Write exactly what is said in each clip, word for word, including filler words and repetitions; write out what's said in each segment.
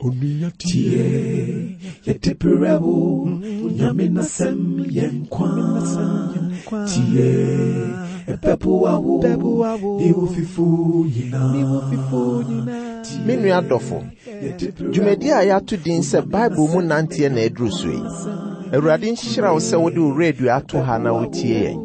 Tie, yɛde brɛ wo, Nyame n'asɛm yɛ nkwa. Tie, ɛbɛboa wo, ne wo fifo nyinaa. Me nua dɔfo, dwumadi a yɛato din sɛ Bible mu nanteɛ na aduru so yi. Awurade nhyira wo sɛ wode wo radio ato ha na wotie yɛn.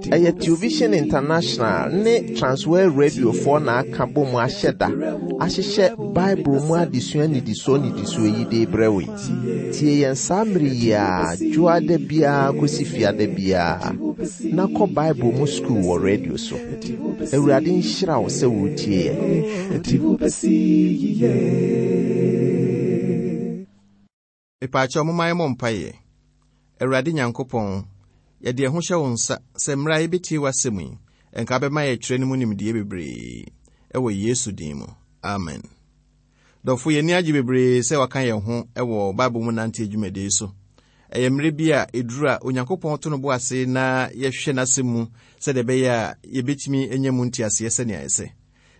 Ɛyɛ Television International ne Transworld Radiofoɔ na aka bɔ mu ahyɛ da ahyehyɛ Bible mu adesua nnidisoɔ nnidisoɔ yi de brɛ wo yi. Tie yɛn saa mmere yi a dwoada biara kɔsi fiada biara na kɔ Bible mu sukuu wɔ radio so. Awurade nhyira wo sɛ wotie yɛn. Ɛde wo bɛsi yiye. Mepaakyɛw momma yɛmmɔ mpaeɛ. Awurade Nyankopɔn, yɛde yɛn ho hyɛ wo nsa sɛ mmerɛ a yɛbɛtie w'asɛm yi, ɛnka bɛma yɛtwerɛ no mu nimdeɛ bebree. Ɛwɔ Yesu din mu. Amen. Dɔfo, yɛni agye bebree sɛ waka yɛn ho ɛwɔ Bible mu nante adwumadie so. Ɛyɛ mmerɛ bi a ɛduru a Onyankopɔn to no bo ase na yɛhwɛ n'asɛm mu sɛdeɛ ɛbɛyɛ a yɛbɛtumi anya mu nteaseɛ sɛnea ɛsɛ.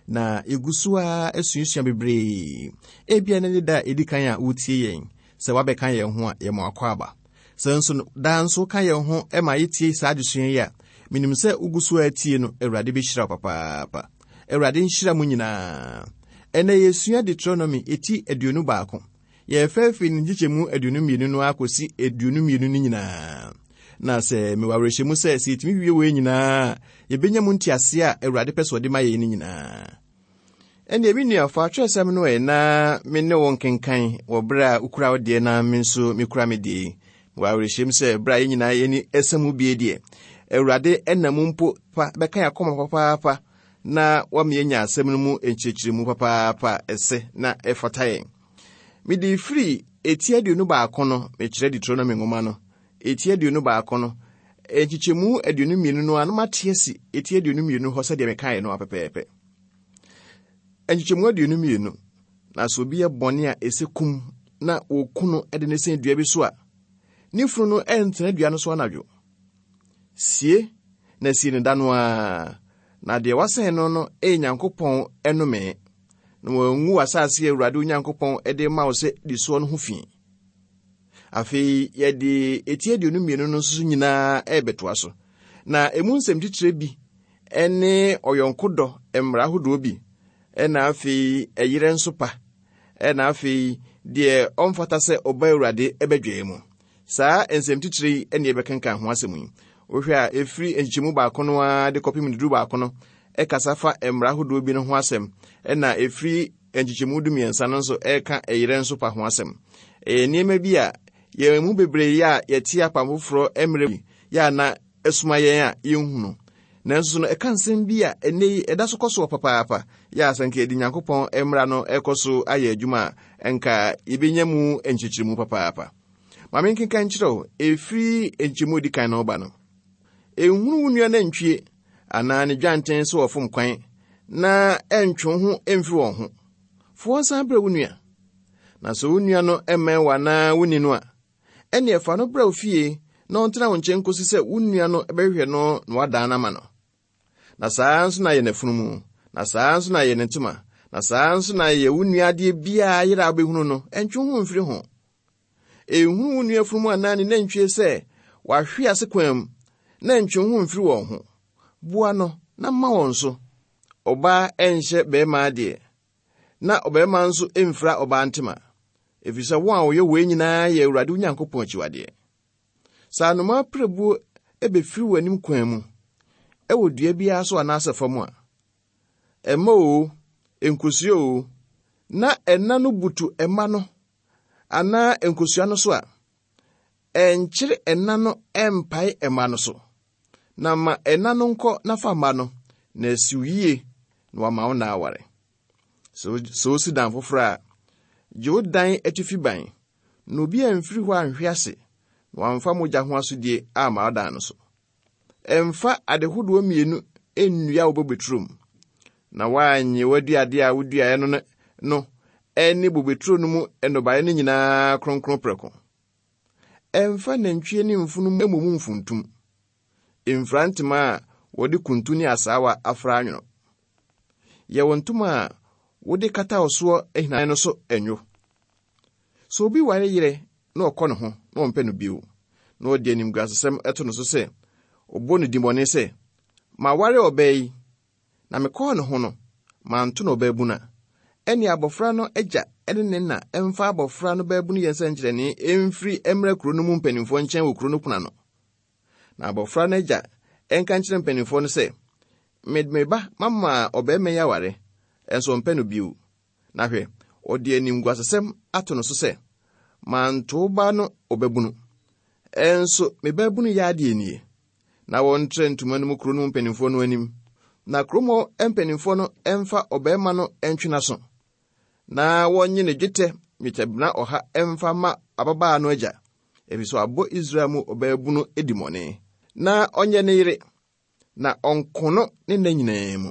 Na yɛgu so a asuasua bebree. Ebia ne ne da a ɛdi kan a wotie yɛn, sɛ woabɛka yɛn ho a yɛma akɔ aba. Sɛ nso daa nso ka yɛn ho ma yɛtie saa adesua yi a, menim sɛ wogu so a tie no, Awurade bɛhyira wo papaapa. Awurade nhyira mo nyinaa. Ɛnɛ yɛsua Deuteronomy eti aduonu baako. Yɛrefa afiri ne nkyekyɛmu aduonu mmienu no akɔsi aduonu mmienu no nyinaa. Na sɛ mewɔ awerɛhyɛmu sɛ sɛ yɛtumi wie wei nyinaa, yɛbɛnya mu nteaseɛ a Awurade pɛ sɛ ɔde ma yɛn no nyinaa. Ɛnneɛ me nua, fa atwerɛsɛm no ɛ na me ne wo nkenkan wɔ berɛ a wokura wo deɛ na me nso mekura me deɛ yi. Wɔ awerɛhyɛm sɛ berɛ a yɛn nyinaa yɛni ɛsɛ mu bie deɛ, Awurade ɛnam mpo pa bɛka yɛn akoma papaapa na wama yɛanya asɛm no mu nkyerɛkyerɛmu papaapa a ɛsɛ na ɛfata yɛn. Mede firi eti aduonu baako no, mekyerɛ Deuteronomy nwoma no, eti aduonu baako no, nkyekyɛmu aduonu mmienu no a na mate asi eti aduonu mmienu hɔ sɛdeɛ mekaeɛ no apɛpɛɛpɛ. Nkyekyɛmu aduonu mmienu, na sɛ obi yɛ bɔne a ɛsɛ kum na wɔku no de ne sɛn dua bi so a, ne funu no ɛntena dua no so anadwo. Sie na sie ne da no ara, na deɛ wasɛn no no ɛyɛ Nyankopɔn ɛnome, na wɔangu w'asase a Awurade Onyankopɔn de ma wo sɛ di soɔ no ho fi. Afei yɛde eti aduonu mmienu no nso nyinaa ɛrebɛtoa so. Na emu nsɛm titire bi ɛne ɔyɔnko dɔ mmara ahodoɔ bi, ɛna afei ɛyerɛ nso pa, ɛna afei deɛ ɔmfata sɛ ɔba Awurade ɛbɛdwaa mu. Saa nsɛm titire yi ɛne yɛbɛkenkan ho asɛm yi. Wohwɛ a ɛfiri nkyekyɛmu baako no ara de kɔpem dudu baako no ɛkasa fa mmara ahodoɔ bi no ho asɛm, ɛna ɛfiri nkyekyɛmu du mmiɛnsa no nso ɛreka ɛyerɛ nso pa ho asɛm. Ɛyɛ nneɛma bi a yɛn mu bebree a yɛte apam foforɔ mmerɛ yi yɛ a na ɛsoma yɛn a yɛnhunu. Nanso no ɛka nsɛm bi a ɛnnɛ yi ɛda so kɔ so papaapa, yɛ a sɛ nka yɛde Nyankopɔn mmara no ɛkɔ so ayɛ adwuma a nka yɛbɛnya mu nkyerɛkyerɛmu papaapa. Ma menkenka nkyerɛ wo, ɛfiri nkyɛmu odi kan na ɔba no. Ɛnhunu wo nua nantwie anaa ne dwanten sɛ wɔfom kwan na ɛntwe wo ho mfiri wɔn ho. Fa wɔn san brɛ wo nua. Na sɛ wo nua no mmɛn wo anaa wo ni no a, ɛnneɛ fa no brɛ wo fie na ɔntena wo nkyɛn kɔsi sɛ wo nua no bɛhwehwɛ no na wadan no ama no. Na saa nso na yɛ n'afunumu, na saa nso na yɛ ne ntoma, na saa nso na yɛ wo nua adeɛ biara yerɛ a wobɛhunu no, ɛntwe wo ho mfiri ho. Ɛnhunu wo nua afunumu anaa ne nantwie sɛ wahwe ase kwan mu, na ɛntwe wo ho mfiri wɔn ho. Boa no na ma wɔn so. Ɔbaa ɛnhyɛ barima adeɛ, na ɔbarima nso ɛmfira ɔbaa ntoma, ɛfiri sɛ wɔn a wɔyɛ wei nyinaa yɛ Awurade Onyankopɔn akyiwadeɛ. Sɛ anomaa pirebuo ɛbɛfiri w'anim kwan mu, ɛwɔ dua biara so anaasɛ fam a, ɛmma oo, nkosua oo, na ɛna no butu ɛmma no anaa nkosua no so a, ɛnkyere ɛna no ɛmpae ɛmma no so. Na ma ɛna no nkɔ na fa mma no, na asiw yie na wama wo na aware. Sɛ wosi dan foforɔ a, gye wo dan atifi ban, na obi amfiri hɔ anhwe ase, na wamfa mogya ho asodie amma wo dan no so. Ɛmfa ade hodoɔ mmienu nnua wo bobeturo mu, na woannye w'aduadeɛ a woduaeɛ no no ɛne bobeturo no mu nnɔbaeɛ no nyinaa kronkron prɛko. Ɛmfa nantwie ne mfunumu mmɔ mu mfuntum. Mfira ntoma a wɔde kuntu ne asaawa afra anwono. Yɛ wo ntoma a wode kata wo soɔ ahinanan no so ɛnwo. Sɛ obi ware yerɛ na ɔkɔ ne ho na ɔmpɛ no bio, na ɔde animguasesɛm ɛto no so sɛ ɔbɔ no dimmɔne sɛ, maware ɔbaa yi, na mekɔɔ ne ho no, manto no ɔbaabunu a, ɛne abɔfra no agya ne ne na ɛmfa abɔfra no baabunu yɛ nsɛnkyerɛnne ɛmfiri mmra kuro no mu mpanimfoɔ nkyɛn wɔ kuro no pono ano. Na abɔfra no agya ɛnka nkyerɛ mpanimfoɔ no sɛ, mede me ba mama ɔbarima yi aware, ɛnso ɔmpɛ no bio. Na hwɛ, ɔde animguasesɛm ato no so sɛ, manto wo ba no ɔbabunu, ɛnso me baabunu yɛ adeɛ nie. Na wɔntrɛ ntoma no mu kuro no mu mpanimfoɔ no anim. Na kurom hɔ mpanimfoɔ no ɛmfa ɔbarima no ɛntwe n'aso, na wɔnnye ne dwetɛ nnwetɛbena ɔha ɛmfa ma ababaa no agya, ɛfiri sɛ wabɔ Israel mu ɔbaabunu dimmɔne, na ɔnyɛ ne yere, na ɔnko no ne nna nyinaa mu.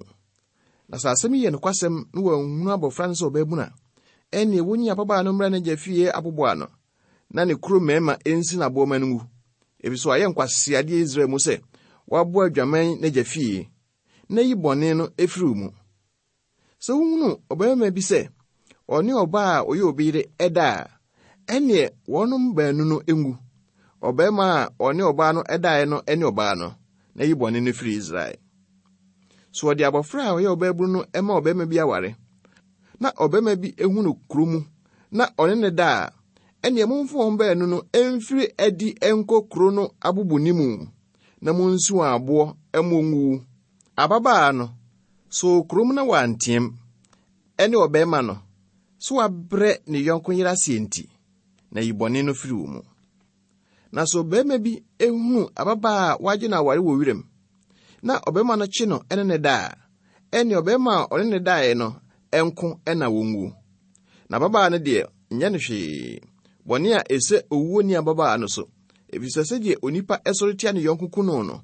Na sɛ asɛm yi yɛ nokwasɛm na wɔanhunu abɔfra no sɛ ɔbaabunu a, ɛnneɛ wonyi ababaa no mmra n'agya fie aboboa no, na ne kuro mmarima ɛnsi n'aboɔma no ngu, ɛfiri sɛ wayɛ nkwaseadeɛ Israel mu sɛ waboa adwaman n'agya fie, na yi bɔne no ɛfiri wo mu. Sɛ wohunu ɔbarima bi sɛ ɔne ɔbaa a ɔyɛ obi yere ɛda a, ɛnneɛ wɔnom baanu no ngu, ɔbarima a ɔne ɔbaa no ɛdaeɛ no ne ɔbaa no, na yi bɔne no firi Israel. So wɔde abɔfra a ɔyɛ ɔbaabunu no ɛma ɔbarima bi aware, na ɔbarima bi ehu no kuro mu, na ɔne ne da a, ɛnneɛ momfa wɔn baanu no ɛmfiri adi ɛnkɔ kuro no abobɔni mu, na monsi wɔn aboɔ ɛma wɔnwuwu. Ababaa no, so kurom na wanteam, ɛne ɔbarima no, so wabrɛ ne yɔnko yere aseɛ nti, na yi bɔne no firi wo mu. Na sɛ ɔbarima bi ehunu ababaa a wagye no aware wɔ wiram, na ɔbarima no kye no ɛne ne da a, ɛne ɔbarima a ɔne ne daeɛ no ɛnko ɛna wɔnwu. Na ababaa no deɛ, nyɛ no hwee. Bɔne a ɛsɛ owuo ni ababaa no so, ɛfiri sɛ sɛdeɛ onipa ɛsɔre tia ne yɔnko ku no no,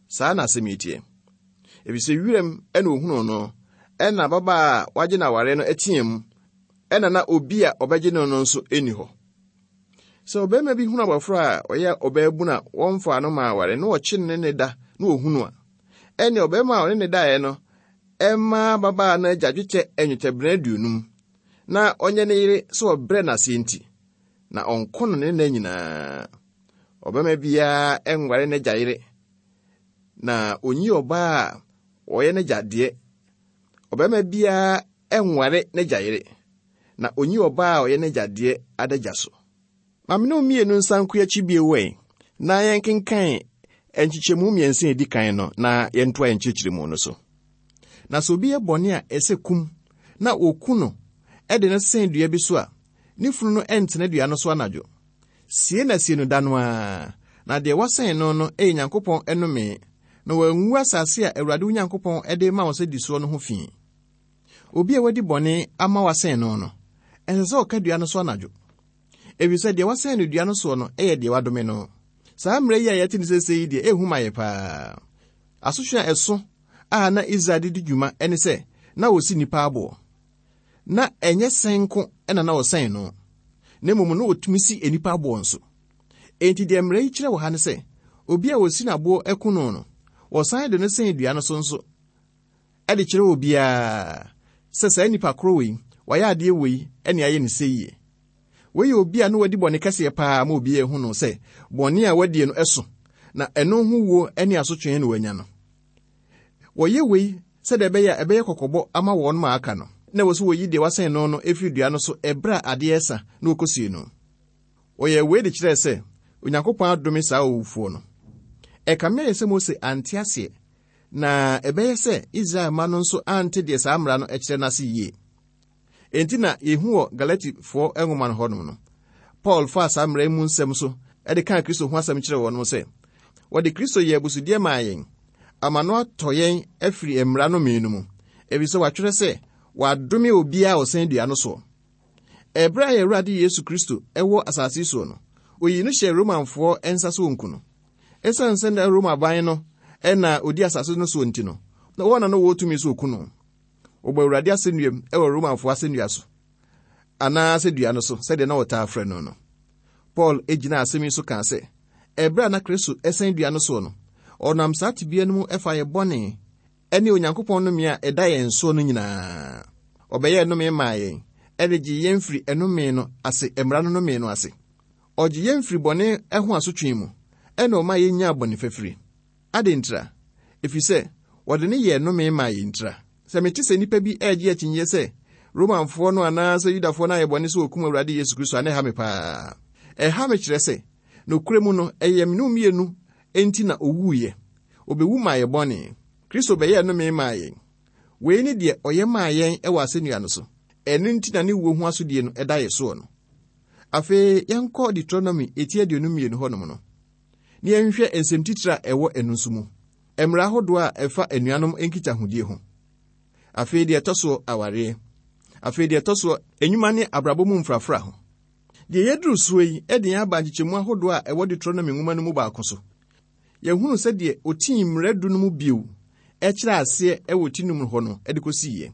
saa na asɛm yi teɛ. Ɛfiri sɛ wiram ɛna ohunuu no, ɛna ababaa a wagye no aware no ɛteɛ mu, ɛna na obi a ɔbɛgye no no nso ɛnni hɔ. Sɛ ɔbarima bi hunu abɔfra a ɔyɛ ɔbaabunu a wɔmfaa no ma aware na wɔkye no ne ne da na ohunu a, ɛne ɔbarima a ɔne ne daeɛ no ɛmma ababaa no agya dwetɛ nnwetɛbena aduonum, na ɔnyɛ ne yere sɛ ɔbrɛ n'ase nti, na ɔnko no ne nna nyinaa. Ɔbarima biara ɛnware n'agya yere, na onyi ɔbaa a ɔyɛ n'agya deɛ. Ɔbarima biara ɛnware n'agya yere, na onyi ɔbaa a ɔyɛ n'agya deɛ adagya so. Ma me ne wo mmienu nsa nko akyi bio ɛ, na yɛnkenkan nkyekyɛmu mmiɛnsa a edi kan no na yɛntoa yɛn nkyerɛkyerɛmu no so. Na sɛ obi yɛ bɔne a ɛsɛ kum na woku no ɛde no sɛn dua bi so a, ne funu no ɛntena dua no so anadwo. Sie na sie no da no ara, na deɛ wɔsɛn no no ɛyɛ Nyankopɔn ɛnome, na wangu asase a Awurade wo Nyankopɔn ɛde ma wo sɛ di soɔ no ho fi. Obi a wadi bɔne ama wasɛn no no, ɛnsɛ sɛ ɔka dua no so anadwo, ɛfiri sɛ deɛ wasɛn no dua no soɔ no ɛyɛ deɛ wadome no. Saa mmerɛ yi a yɛte ne seesei yi deɛ ɛhu ma yɛ paa. Asotwe a ɛso a na Israel de di dwuma ɛne sɛ na wɔsi nnipa aboɔ. Na ɛnyɛ sɛn nko ɛna na wɔsɛn no, na mmom na wɔtumi si nnipa aboɔ nso. Enti deɛ mmerɛ yi kyerɛ wɔ ha ne sɛ, obi a wɔsi n'aboɔ ɛko no no, wɔsan de no sɛn dua no so nso ɛde kyerɛ obiara sɛ saa nnipa koro wei, wayɛ adeɛ wei ɛne ayɛ ne sɛ yie. Wei yɛ obi a na wadi bɔne kɛseɛ paa ma obiara ehu no sɛ bɔne a wadie no ɛso, na ɛno ho wuo ne asotwe na wanya no. Wɔyɛ wei sɛdeɛ ɛbɛyɛ a ɛbɛyɛ kɔkɔbɔ ama wɔn ma aka no, na ɛwɔ sɛ wɔyi deɛ wasɛn no no efiri dua no so ɛberɛ a adeɛ ɛsa na wɔkɔsie no. Wɔyɛ wei de kyerɛɛ sɛ Onyankopɔn adome saa owufoɔ no. Ɛkame ayɛ sɛ Mose ante aseɛ, na ɛbɛyɛ sɛ Israel mma no nso ante deɛ saa mmara no kyerɛ no ase yie. Enti na yɛhu wɔ Galatifoɔ nwoma no hɔnom no, Paul faa saa mmara yi mu nsɛm so de kaa Kristo ho asɛm kyerɛɛ wɔn sɛ, wɔde Kristo yɛɛ abusudeɛ maa yɛn, ama no atɔ yɛn afiri mmara no mmienu mu, ɛfiri sɛ wɔatwerɛ sɛ, wɔadome obiara a ɔsɛn dua no soɔ. Ɛberɛ a Awurade Yesu Kristo ɛwɔ asase yi soɔ no, oyii no hyɛɛ Romanfoɔ nsa so wɔnku no. Ɛsiane sɛ na Roma aban no ɛna odi asase no soɔ nti no, na wɔn na no wɔ tumi so oku no. Wɔbɔ Awurade asɛnnuam ɛwɔ Romanfoɔ asɛnnua so, anaasɛ dua no so, sɛdeɛ na wɔtaa frɛ no no. Paul gyina asɛm yi so kaa sɛ, ɛberɛ a na Kristo ɛsɛn dua no soɔ no, ɔnam saa tebea no mu ɛfa yɛ bɔne ɛne Onyankopɔn nnome a ɛda yɛn soɔ no nyinaa. Ɔbɛyɛɛ nnome maa yɛn, de gye yɛn firi ɛnome no ase, mmara no nome no ase. Ɔgye yɛn firi bɔne ho asotwe mu, ɛna ɔma yɛnyaa bɔne fafiri. Adɛn ntira? Ɛfiri sɛ, wɔde ne yɛɛ nome maa yɛn ntira. Sɛ mete sɛ nnipa bi ɛregye akyinnyeɛ sɛ Romanfoɔ no anaasɛ Yudafoɔ no ayɛ bɔne sɛ wɔkum Awurade Yesu Kristo a, na ɛha me paa. Ɛha me kyerɛ sɛ, nokorɛ mu no, ɛyɛ me ne wo mmienu enti na owuiɛ. Obewu maa yɛ bɔne. Kristo bɛyɛɛ nome maa yɛn. Wei ne deɛ ɔyɛ maa yɛn wɔ asɛnnua no so. Ɛno nti na ne wuo ho asodie no ɛda yɛ soɔ no. Afei yɛnkɔ Deuteronomy eti aduonu mmienu hɔnom no, na yɛnhwɛ nsɛm titire a ɛwɔ ɛno nso mu. Mmara ahodoɔ a ɛfa anuanom nkitahodie ho. Afei deɛ ɛtɔ soɔ, awareɛ. Afei deɛ ɛtɔ soɔ, enyuma ne abrabɔ mu mfrafra ho. Deɛ yɛduru soɔ yi de yɛn aba nkyekyɛmu ahodoɔ a ɛwɔ Deuteronomy nwoma no mu baako so. Yɛhunu sɛdeɛ otii mmara du no mu bio ɛkyerɛ aseɛ ɛwɔ ti num hɔ no de kɔsiiɛ.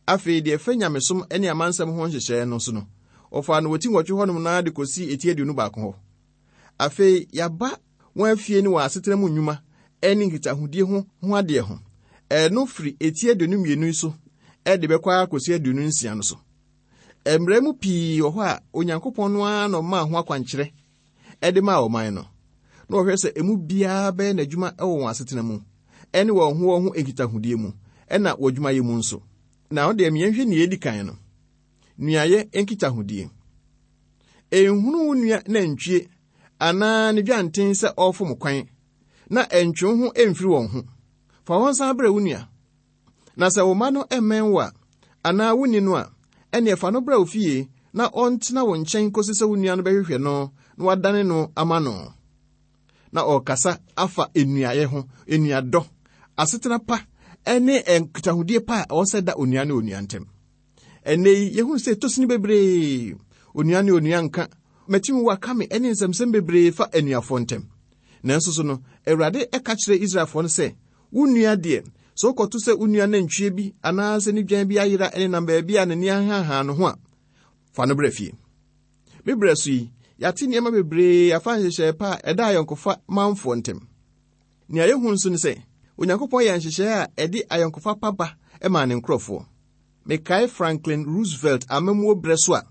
Afei deɛ ɛfa nyamesom ne amansɛm ho nhyehyɛeɛ no so no, ɔfaa no wɔ ti nwɔtwe hɔnom naa de kɔsii eti aduonu baako hɔ. Afei yɛaba wɔn afie ne wɔn asetena mu nnwuma ne nkitahodie ho ho adeɛ ho. Ɛno firi eti aduonu mmienu yi so de bɛkɔ akɔsi aduonu nsia no so. Mmerɛ mu pii wɔ hɔ a Onyankopɔn no ara na ɔmaa ho akwankyerɛ de maa ɔman no. Na ɔhwɛ sɛ emu biara bɛyɛ n'adwuma wɔ wɔn asetena mu, ɛne wɔn ho wɔn ho nkitahodie mu, ɛna wɔ adwumayɛ mu nso. Na ɔde yɛnhwɛ nea edi kan no, nuayɛ nkitahodie. Enhunu wo nua nantwie anaa ne dwanten sɛ ɔrefom kwan, na ɛntwe wo ho mfiri wɔn ho. Fa wɔn san brɛ wo nua. Na sɛ wo mma no mmɛn wo a, anaa wonni no a, ɛnneɛ fa no brɛ wo fie na ɔntena wo nkyɛn kɔsi sɛ wo nua no bɛhwehwɛ no na wadane no ama no. Na ɔrekasa afa nnuayɛ ho, nnuadɔ, asetena pa ne nkitahodie pa a ɛwɔ sɛ da onua ne onua ntam. Ɛnnɛ yi, yɛhunu sɛ tosini bebree, onua ne onua nka, mɛtumi waka me ne nsɛmsɛm bebree fa anuafoɔ ntam. Nanso so no, Awurade ɛka kyerɛ Israelfoɔ no sɛ, wo nua deɛ, sɛ wokɔto sɛ wo nua nantwie bi anaasɛ ne dwan bi ayera ne nam baabi a n'ani ahahan no ho a, fa no brɛ fie. Me brɛ so yi, yɛate nneɛma bebree afa nhyehyɛe pa a ɛda ayɔnkofa manfoɔ ntam. Nea yɛhu nso ne sɛ, Onyankopɔn yɛ nhyehyɛe a ɛde ayɔnkofa pa ba maa ne nkurɔfoɔ. Mekae Franklin Roosevelt amammuo berɛ so a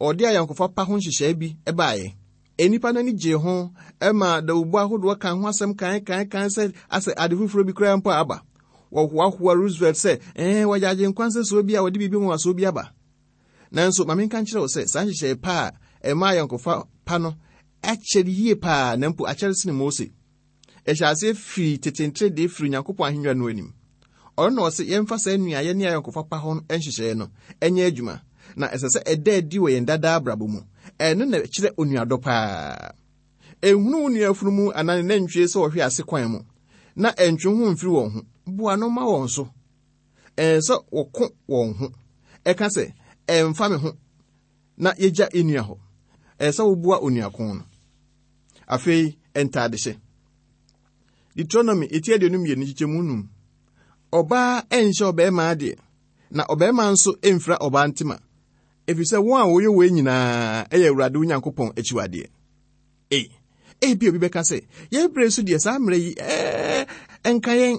ɔde ayɔnkofa pa ho nhyehyɛe bi baeɛ. Nnipa no ani gyee ho ma dawubɔ ahodoɔ ka ho asɛm kan kan kan sɛ asɛ ade foforɔ bi koraa mpo a aba. Wɔhoahoa Roosevelt sɛ, ɛɛ, wɔyɛ agyenkwa nsɛsoɔ bi a wɔde biribi nwanwasoɔ bi aba. Nanso, ma menka nkyerɛ wo sɛ, saa nhyehyɛe pa a ɛma ayɔnkofa pa no akyɛre yie paa, na mpo akyɛre sene Mose. Ɛhyɛ aseɛ firi tete nteredee firi Onyankopɔn ahennwa no anim. Ɔno na ɔse yɛmfa saa nnuayɛ ne ayɔnkofa pa ho nhyehyɛeɛ no ɛnyɛ adwuma, na ɛsɛ sɛ ɛda adi wɔ yɛn dadaa abrabɔ mu. Ɛno na ɛkyerɛ onuadɔ paa. Enhunu wo nua afunumu anaa ne nantwie sɛ ɔhwe ase kwan mu, na ɛntwe ho mfiri wɔn ho. Boa no ma wɔn so. Ɛnsɛ sɛ wɔko wɔn ho. Ɛka sɛ, ɛmfa me ho, na yɛgya nnua hɔ. Ɛsɛ sɛ woboa onuako no. Afei, ntadehyɛ. Deuteronomy eti aduonu mmienu nkyekyɛmu num. Ɔbaa ɛnhyɛ ɔbarima adeɛ, na ɔbarima nso ɛmfira ɔbaa ntoma, ɛfiri sɛ wɔn a wɔyɛ wei nyinaa ɛyɛ Awurade wo Nyankopɔn akyiwadeɛ. Ei, ebi obi bɛka sɛ, yɛn berɛ so deɛ saa mmerɛ yi, ɛɛ, ɛnka yɛn,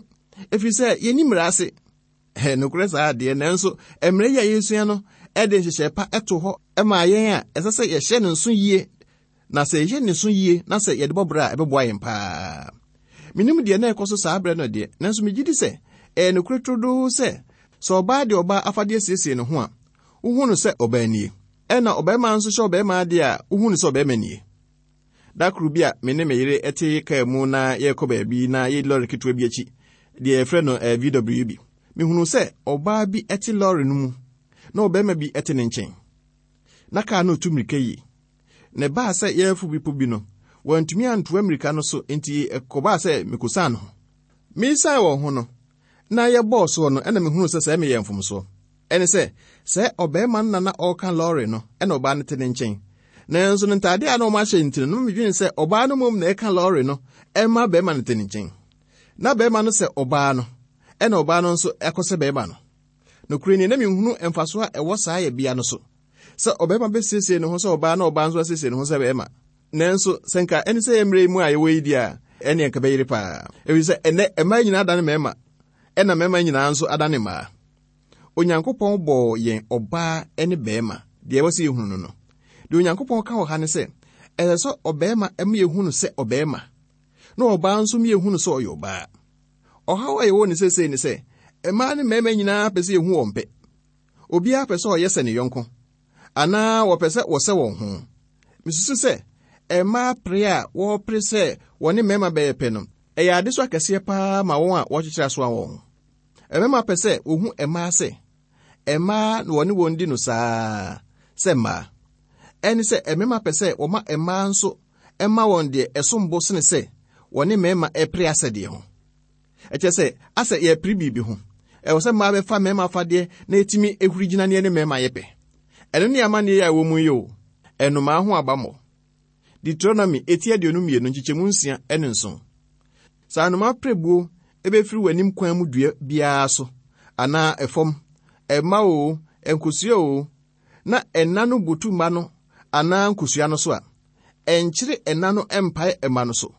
ɛfiri sɛ yɛnni mmara ase. Ɛ, nokorɛ saa adeɛ, nanso mmerɛ yi a yɛresua no ɛde nhyehyɛe pa ɛto hɔ ɛma yɛn a ɛsɛ sɛ yɛhyɛ ne nso yie, na sɛ yɛhyɛ ne nso yie na sɛ yɛde bɔ berɛ a ɛbɛboa yɛn paa. Menim deɛ na ɛkɔ so saa berɛ no deɛ, nanso megye di sɛ ɛyɛ nokorɛ turodoo sɛ, sɛ ɔbaa de ɔbaa afadeɛ siesie ne ho a, wohu no sɛ ɔbaa nie. Ɛna ɔbarima nso hyɛ ɔbarima adeɛ a, wohu no sɛ ɔbarima nie. Da koro bi a me ne me yere te kaa mu na yɛrekɔ baabi na yɛdi lɔre ketewa bi akyi, deɛ yɛfrɛ no V W bi. Mehunu sɛ ɔbaa bi te lɔre no mu na ɔbarima bi te ne nkyɛn. Na kaa no retu mmirika yie. Na ɛbaa sɛ yɛrefu bepɔ bi no, wɔantumi antoa mmirika no so nti ɛkɔbaa sɛ mekɔsiane ho. Mesiane wɔn ho no, na yɛbɔɔ soɔ no, ɛna mehunu sɛ sɛ meyɛ mfomsoɔ. Ɛne sɛ, sɛ ɔbarima no na na ɔreka lɔre no, ɛna ɔbaa no te ne nkyɛn. Nanso ne ntadeɛ a na ɔmo ahyɛ nti no, na medwene sɛ ɔbaa no mmom na ɛka lɔre no, ɛma barima no te ne nkyɛn. Na barima no sɛ ɔbaa no, ɛna ɔbaa no nso ɛkɔ sɛ barima no. Nokorɛ nie, na menhunu mfasoɔ a ɛwɔ saa yɛbea no so. Sɛ ɔbarima bɛsiesie ne ho sɛ ɔbaa na ɔbaa nso asiesie ne ho sɛ barima. Nanso, sɛ nka ɛne sɛ yɛ mmerɛ yi mu a yɛwɔ yi deɛ a, ɛne nka bɛyere paa. Ɛfiri sɛ, ɛnnɛ, mmaa nyinaa adane mmarima, ɛna mmarima nyinaa nso adane mmaa. Onyankopɔn bɔɔ yɛn ɔbaa ne bɛrima. Deɛ ɛwɔ sɛ yɛhunu no no. Deɛ Onyankopɔn ka wɔ ha ne sɛ, ɛsɛ sɛ ɔbarima ma yɛhu no sɛ ɔbarima, na ɔbaa nso ma yɛhu no sɛ ɔyɛ ɔbaa. Ɔhaw a yɛwɔ ne seesei ne sɛ, mmaa ne mmarima nyinaa pɛ sɛ yɛhu wɔn pɛ. Obiara pɛ sɛ ɔyɛ sɛ ne yɔnko, anaa wɔpɛ sɛ wɔsɛ wɔn ho. Mesusu sɛ, mmaa pere a wɔrepere sɛ wɔne mmarima bɛyɛ pɛ no, ɛyɛ ade so akɛseɛ paa ma wɔn a wɔkyekyere asoa wɔn. Mmarima pɛ sɛ wɔhu mmaa sɛ, mmaa na wɔne wɔn di no saa sɛ mmaa. Ɛne sɛ mmarima pɛ sɛ wɔma mmaa nso ɛma wɔn deɛ ɛsom bo sene sɛ wɔne mmarima ɛpere asɛdeɛ ho. Ɛkyerɛ sɛ asɛ yɛpere biribi ho. Ɛwɔ sɛ mmaa bɛfa mmarima afadeɛ na ɛtumi ehuri gyina ne ne mmarima yɛ pɛ. Ɛno ne amanneɛ a ɛwɔ mu yi o. Ɛnomaa ho abammɔ. Deuteronomy eti aduonu mmienu nkyekyɛmu nsia ne nson. Sɛ anomaa pirebuo ebɛfiri w'anim kwan mu dua biara so, anaa ɛfam, ɛmma o, nkosua o, na ɛna no butu mma no anaa nkosua no so a, ɛnkyere ɛna no ɛmpae ɛma no so.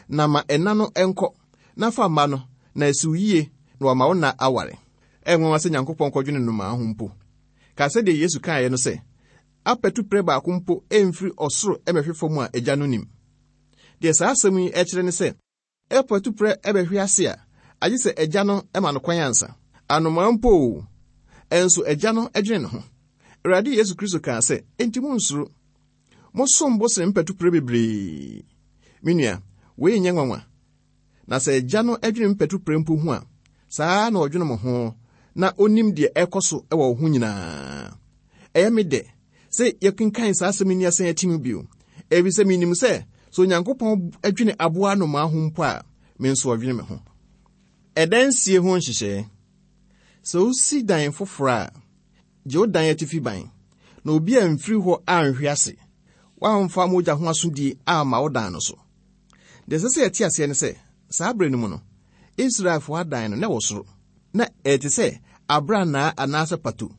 Na ma ɛna no ɛnkɔ, na fa mma no, na esiw yie na wama wo na aware. Ɛnwanwa sɛ Nyankopɔn kɔdwene nnomaa ho mpo. Ka sɛdeɛ Yesu kaeɛ no sɛ, apɛtu baako mpo ɛmfiri ɔsoro ɛmɛhwe fam a agya no nim. Deɛ saa asɛm yi ɛkyerɛ ne sɛ, ɛpɛtu prɛ ɛbɛhwe ase a, agye sɛ agya no ɛma no kwan ansa. Anomaa mpo o, ɛnso agya no ɛdwene ne ho. Awurade Yesu Kristo kaa sɛ, enti monnsuro. Mosom bo sene mpɛtuprɛ bebree. Me nua, wei nyɛ nwanwa. Na sɛ agya no ɛdwene mpɛtuprɛ mpo ho a, saa na ɔdwene mo ho, na onim deɛ ɛkɔ so ɛwɔ wo ho nyinaa. Ɛyɛ me dɛ sɛ yɛkenkan saa asɛm yi ni asan akyi mu bio. Ɛfiri sɛ menim sɛ, sɛ Onyankopɔn adwene aboa anomaa ho mpo a, me nso ɔdwene me ho. Ɛdansie ho nhyehyɛe. Sɛ wosi dan foforɔ a, gye wo dan atifi ban, na obi a mfiri hɔ anhwe ase, woamfa mogya ho asodie amma wo dan no so. Deɛ ɛsɛ sɛ yɛte aseɛ ne sɛ, saa berɛ no mu no, Israelfoɔ adan no na ɛwɔ soro, na ɛte sɛ abrannaa anaasɛ pato.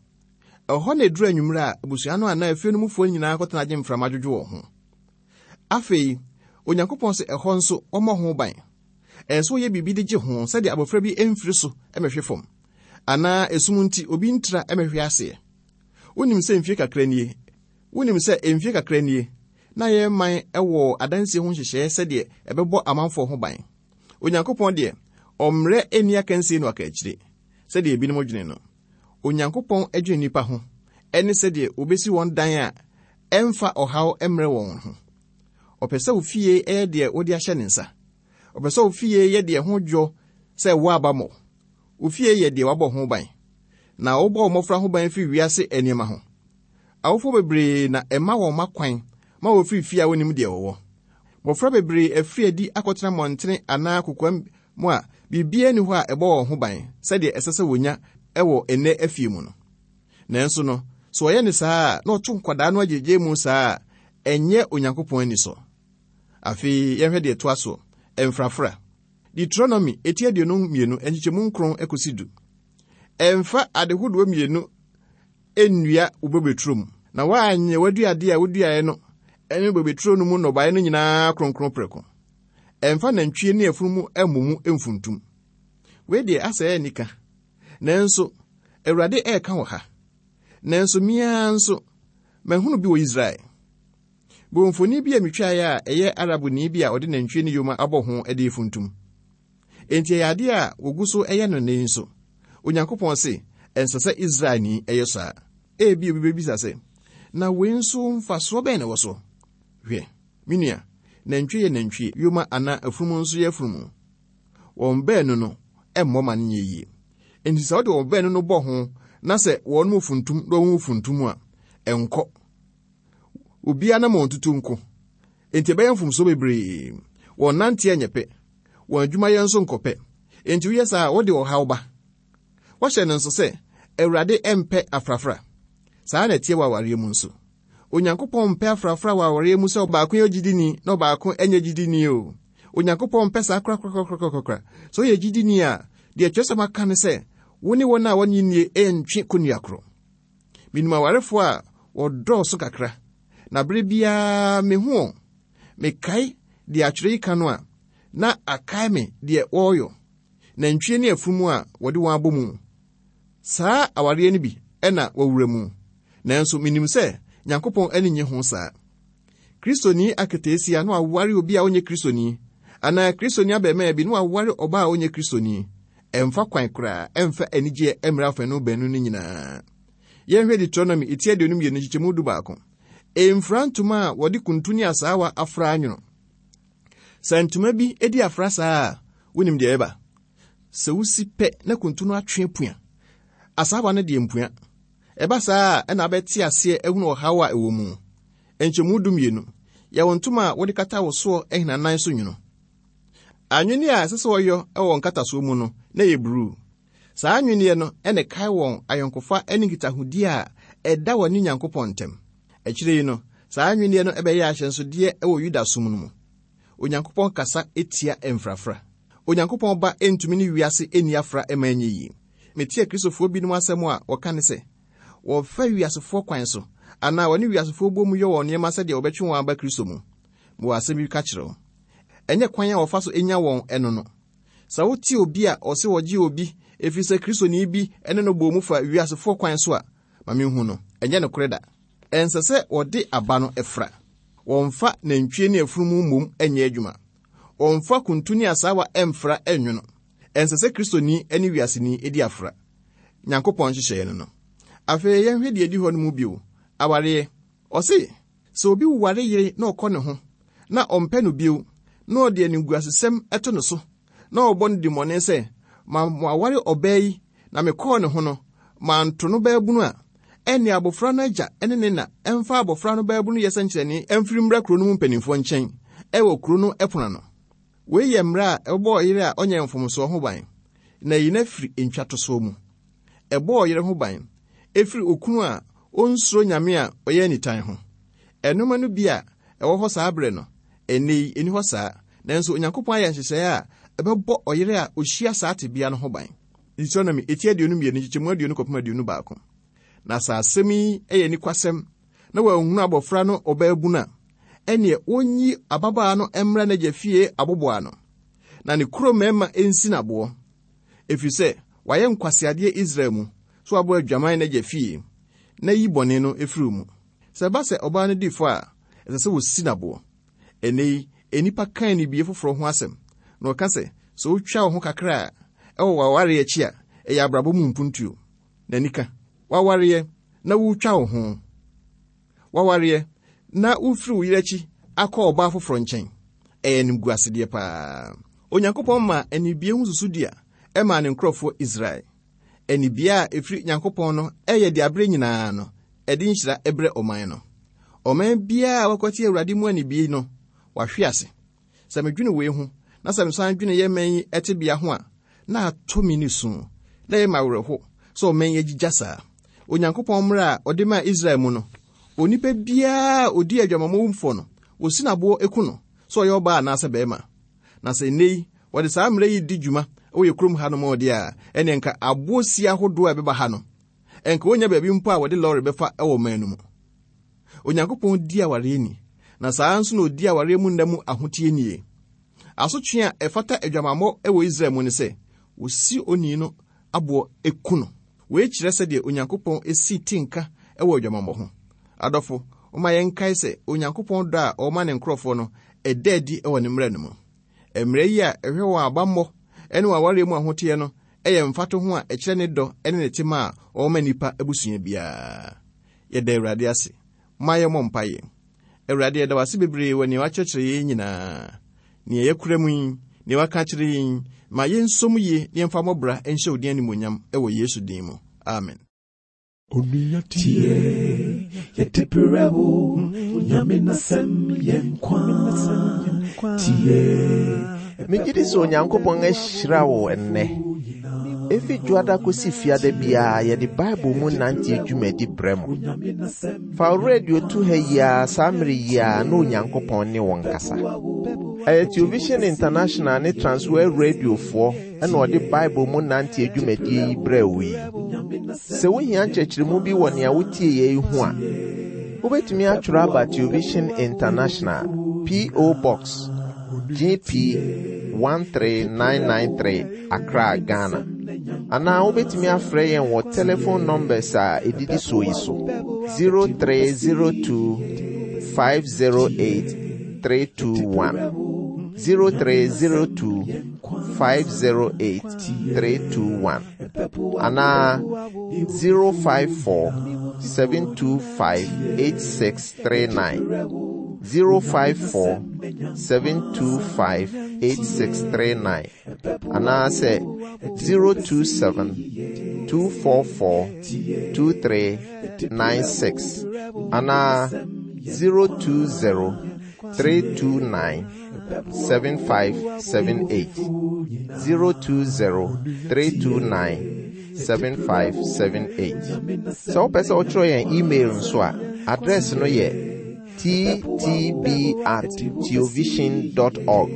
Ɛhɔ na ɛduru anwummerɛ a abusua no anaa efie no mufoɔ nyinaa kɔtena gye mframa dwodwo wɔn ho. Afei, Onyankopɔn sɛ ɛhɔ nso wɔmmɔ ho ban. Ɛyɛ sɛ wɔyɛ biribi de gye ho sɛdeɛ abɔfra bi mfiri so mmɛhwe fam, anaa esum nti obi ntra mmɛhwe aseɛ. Wonim sɛ mfie kakra nie, wonim sɛ mfie kakra nie, na yɛn man ɛwɔ adansie ho nhyehyɛeɛ sɛdeɛ ɛbɛbɔ amanfoɔ ho ban. Onyankopɔn deɛ, ɔmmerɛ ɛnni akansie no aka akyire, sɛdeɛ ebinom dwene no. Onyankopɔn adwene nnipa ho, ɛne sɛdeɛ obesi wɔn dan a ɛmfa ɔhaw mmrɛ wɔn ho. Ɔpɛ sɛ wo fie ɛyɛ deɛ wode ahyɛ ne nsa. Ɔpɛ sɛ wo fie yɛ deɛ ho dwo sɛ wo aba mmɔ. Wo fie yɛ deɛ wabɔ ho ban. Na wobɔ wo mmɔfra ho ban firi wiase nneɛma ho. Awofoɔ bebree na ɛma wɔn mma kwan ma wɔfiri fie a wɔnim deɛ wɔwɔ. Mmɔfra bebree afiri adi akɔtena mmɔntene anaa kokoam mu a biribiara nni hɔ a ɛbɔ wɔn ho ban sɛdeɛ ɛsɛ sɛ wɔnya ɛwɔ ɛnnɛ afie mu no. Nanso no, sɛ ɔyɛ ne saa a, na ɔto nkwadaa no agyegye mu saa a, ɛnyɛ Onyankopɔn ani so. Afei, yɛnhwɛ deɛ ɛtoa so, ɛmfrafra. Deuteronomy eti aduonu mmienu nkyekyɛmu nkron ekosi du. Ɛmfa adehodoɔ mmienu nnua wo bobeturo mu, na woanyɛ w'aduadeɛ a woduaeɛ no ɛne bobeturo no mu nnɔbaeɛ no nyinaa kronkron prɛko. Ɛmfa nantwie ne afunumu mmɔ mu mfuntum. Wei deɛ asɛ ɛyɛ nika. Nanso, Awurade ɛreka wɔ ha. Nanso mmea nso, mahunu bi wɔ Israel. Bɔ bi a metwaeɛ a ɛyɛ Arabni bi a ɔde nantwie ne yoma abɔ ho de funtum. Enti ɛyɛ adeɛ a wogu so ɛyɛ no nnɛ yi nso. Onyankopɔn se, ɛnsɛ sɛ Israelni ɛyɛ saa. Ebi obi bɛbisa sɛ, na wei nso mfasoɔ bɛn na ɛwɔ so? Hwɛ, me nua, nantwie yɛ nantwie, yoma anaa afunumu nso yɛ afunumu. Wɔn baanu no ɛmmɔ ma no nyɛ yie. Enti sɛ wode wɔn baanu no bɔ ho na sɛ wɔn mu funtum na wɔn mu funtum a, ɛnkɔ. Obiara nam wɔn tutu nko. Enti ɛbɛyɛ mfomsoɔ bebree. Wɔn nanteɛ nyɛ pɛ. Wɔn adwumayɛ nso nkɔ pɛ. Enti woyɛ saa a, wode ɔhaw ba. Wɔhyɛ no nso sɛ, Awurade ɛmpɛ afrafra. Saa na ɛteɛ wɔ awareɛ mu nso. Onyankopɔn mpɛ afrafra wɔ awareɛ mu sɛ ɔbaako yɛ gyidini na ɔbaako nyɛ gyidini o. Onyankopɔn mpɛ saa korakorakorakora. Sɛ woyɛ gyidini a, deɛ Twerɛsɛm aka ne sɛ, wo ne wɔn a wɔnnye nnie ɛntwe kɔnnua korɔ. Menim awarefoɔ a wɔdɔɔso kakra, na bere biara mehu wɔn. Mekae deɛ atwerɛ yi ka no a, na akae me deɛ wɔreyɔ. Nantwie ne afunumu a wɔde wɔn abɔ mu. Saa awareɛ no bi ɛna wɔwura mu. Nanso minim sɛ Nyankopɔn ani nye ho saa. Kristoni aketeesia na waware obi a ɔnyɛ Kristoni, anaa Kristoni abarimaa bi na waware ɔbaa a ɔnyɛ Kristoni. Ɛmfa kwan koraa, ɛmfa anigyeɛ mmra afanu baanu no nyinaa. Yɛnhwɛ Deuteronomy eti aduonu mmienu nkyekyɛmu du baako. Ɛmfira ntoma a wɔde kuntu ne asaawa afra anwono. Sɛ ntoma bi edi afra saa a, wonim deɛ ɛba. Sɛ wosi pɛ na kuntu no atwe apua, asaawa no deɛ mpua. Ɛba saa a, ɛna abɛte aseɛ ahunu ɔhaw a ɛwɔ mu. Nkyɛmu du mmienu, yɛwɔ ntoma a wɔde kata wo soɔ ahinanan so nwono. Anwenneɛ a ɛsɛ sɛ wɔyɔ wɔ nkatasoɔ mu no, na ɛyɛ bruu. Saa anwenneɛ no ɛna ɛkae wɔn ayɔnkofa ne nkitahodie a ɛda wɔn ne Nyankopɔn ntam. Akyire yi no, saa anwenneɛ no ɛbɛyɛ ahyɛnsodeɛ wɔ Yudasom no mu. Onyankopɔn kasa etia mfrafra. Onyankopɔn ba ntumi ne wiase nni afra mma ɛnyɛ yie. Metie Kristofoɔ binom asɛm a wɔka ne sɛ, wɔfa wiasefoɔ kwan so anaa wɔne wiasefoɔ bɔ mu yɛ wɔn nneɛma sɛdeɛ wɔbɛtwe wɔn aba Kristo mu. Mewɔ asɛm bi ka kyerɛ wo. Ɛnyɛ kwan a wɔfa so nya wɔn ɛno no. Sɛ wote obi a ɔse wɔgye obi ɛfiri sɛ Kristoni bi ne no bɔ mu fa wiasefoɔ kwan so a, ma menhu no, ɛnyɛ nokorɛ da. Ɛnsɛ sɛ wɔde aba no ɛfra. Wɔmfa nantwie ne afunumu mmom nyɛ adwuma. Wɔmfa kuntu ne asaawa ɛmfra ɛnwono. Ɛnsɛ sɛ Kristoni ne wiaseni di afra. Nyankopɔn nhyehyɛeɛ no no. Afei yɛnhwɛ deɛ ɛdi hɔ no mu bio. Awareɛ. Ɔse, sɛ obi ware yere na ɔkɔ ne ho, na ɔmpɛ no bio, na ɔde animguasesɛm ɛto ne so, na ɔbɔ no dimmɔne sɛ, ma maware ɔbaa yi na mekɔɔ ne ho no, manto no baabunu a, ɛne abɔfra no agya ne ne na ɛmfa abɔfra no baabunu yɛ sɛnkyerɛnne ɛmfiri mmra kuro no mu mpanimfoɔ nkyɛn ɛwɔ kuro no ɛpono ano. Wei yɛ mmara a ɛbɔ ɔyere a ɔnyɛ mfomsoɔ ho ban, na yi no afiri ntwatosoɔ mu. Ɛbɔ ɔyere ho ban ɛfiri okunu a onsuro Nyame a ɔyɛ anitan ho. Ɛnoma no bi a ɛwɔ hɔ saa berɛ no, ɛnnɛ yi ɛni hɔ saa, nanso Onyankopɔn ayɛ nhyehyɛeɛ a ɛbɛbɔ ɔyere a ohyia saa tebea no ho ban. Deuteronomy eti aduonu mmienu nkyekyɛmu aduonu kɔpem aduonu baako. Na saa asɛm yi yɛ nikwasɛm na wɔanhunu abɔfra no ɔbaabunu a, ɛneɛ wɔnyi ababaa no mmra n'agya fie aboboa no, na ne kuro mmarima nsi n'aboɔ, ɛfiri sɛ wayɛ nkwaseadeɛ Israel mu, so wabɔ adwaman n'agya fie, na yi bɔne no ɛfiri mu. Sɛ ɛba sɛ ɔbaa no di fɔ a, ɛsɛ sɛ wɔsi n'aboɔ. Ɛnnɛ yi, nnipa kan ne bie foforɔ ho asɛm, na ɔka sɛ, sɛ wotwa wo ho kakra a, ɛwɔ w'awareɛ akyi a, ɛyɛ abrabɔ mu mpuntuo. N'ani ka, w'awareɛ na wotwa wo ho. W'awareɛ na wofiri wo yere akyi akɔ ɔbaa foforɔ nkyɛn. Ɛyɛ animguasedeɛ paa. Onyankopɔn ma anibie ho susudua ɛmaa ne nkurɔfoɔ Israel. Anibie a ɛfiri Nyankopɔn no ɛyɛ de abere nyinaa no, ɛde nhyira ɛbrɛ ɔman no. Ɔman biara a wɔkɔte Awurade mu anibie no, wahwe ase. Sɛ medwene wei ho, na sɛ mesan dwene yɛ man yi ɛtebea ho a, na atɔ me ne su, na ɛyɛ me awerɛho sɛ ɔman yi agyigya saa. Onyankopɔn mmara a ɔde maa Israel mu no, onipa biara a odi adwamammɔfo no, wosi n'aboɔ eku no, sɛ ɔyɛ ɔbaa anaasɛ barima. Na sɛ nnɛ yi, wɔde saa mmara yi di dwuma wɔ yɛ kurom ha nom ɔde a, ɛne nka aboɔ si ahodoɔ a ɛbɛba ha no, ɛnka wonya baabi mpo a wɔde lɔre bɛfa wɔ ɔman no mu. Onyankopɔn di awareɛ ni, na saa nso na odi awareɛ mu nna mu ahoteɛ nie. Asotwe a ɛfata adwamammɔ wɔ Israel mu ne sɛ, wosi onii no aboɔ eku no. Wei kyerɛ sɛdeɛ Onyankopɔn esi tinka wɔ adwamammɔ ho. Adɔfo, momma yɛnkae sɛ Onyankopɔn dɔ a ɔma ne nkurɔfoɔ no, ɛda adi wɔ ne mmara no mu. Mmara yi a ɛhwɛ wɔn abammɔ ne wɔn awareɛ mu ahoteɛ no ɛyɛ mfatoho a ɛkyerɛ ne dɔ ne ne tema a ɔwɔ nnipa abusua biara. Yɛda Awurade ase. Ma yɛmmɔ mpaeɛ. Awurade, yɛda wo ase bebree wɔ nea wakyerɛkyerɛ yɛn nyinaa. Nea yɛkura mu yi, nea waka akyerɛ yɛn, ma yɛnsom yie na yɛmfa mmɔbra nhyɛ wo din animuonyam wɔ Yesu din mu. Amen. Onua tie, yɛde brɛ wo, Onyame n'asɛm yɛ nkwa. Tie, Megye di sɛ Onyankopɔn ahyira wo ɛnnɛ. Efi dwoada kosi fiada biara yɛde Bible mu nante dwumadi brɛ mo. Fa wo radio to ha yi ara saa mmere yi ara na Onyankopɔn ne wo nkasa. Ɛyɛ Television International ne Transworld Radiofoɔ ɛna ɔde Bible mu nante dwumadie yi brɛ wo yi. Sɛ wohia nkyerɛkyerɛmu bi wɔ nea wotie yɛ yi ho a, wobɛtumi atwerɛ aba Television International, P O. Box G P one three nine nine three, Accra, Ghana. Anaa wobɛtumi afrɛ yɛn wɔ telephone numbers a ɛdidi soɔ yi so: zero three zero two five zero eight three two one, zero three zero two five zero eight three two one, anaa zero five four seven two five eight six three nine, zero five four seven two five eight six three nine, anaasɛ zero two seven two four four two three nine six, anaa zero two zero three two nine seven five seven eight, zero two zero three two nine seven five seven eight. Sɛ wopɛ sɛ wotwerɛ yɛn email nso a, address no yɛ T T B at theovision dot org,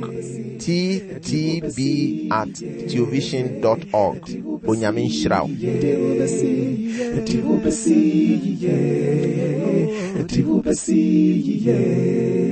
T T B at theovision dot org. Onyame nhyira wo. Yɛde wo bɛsi yie, yɛde wo bɛsi yie.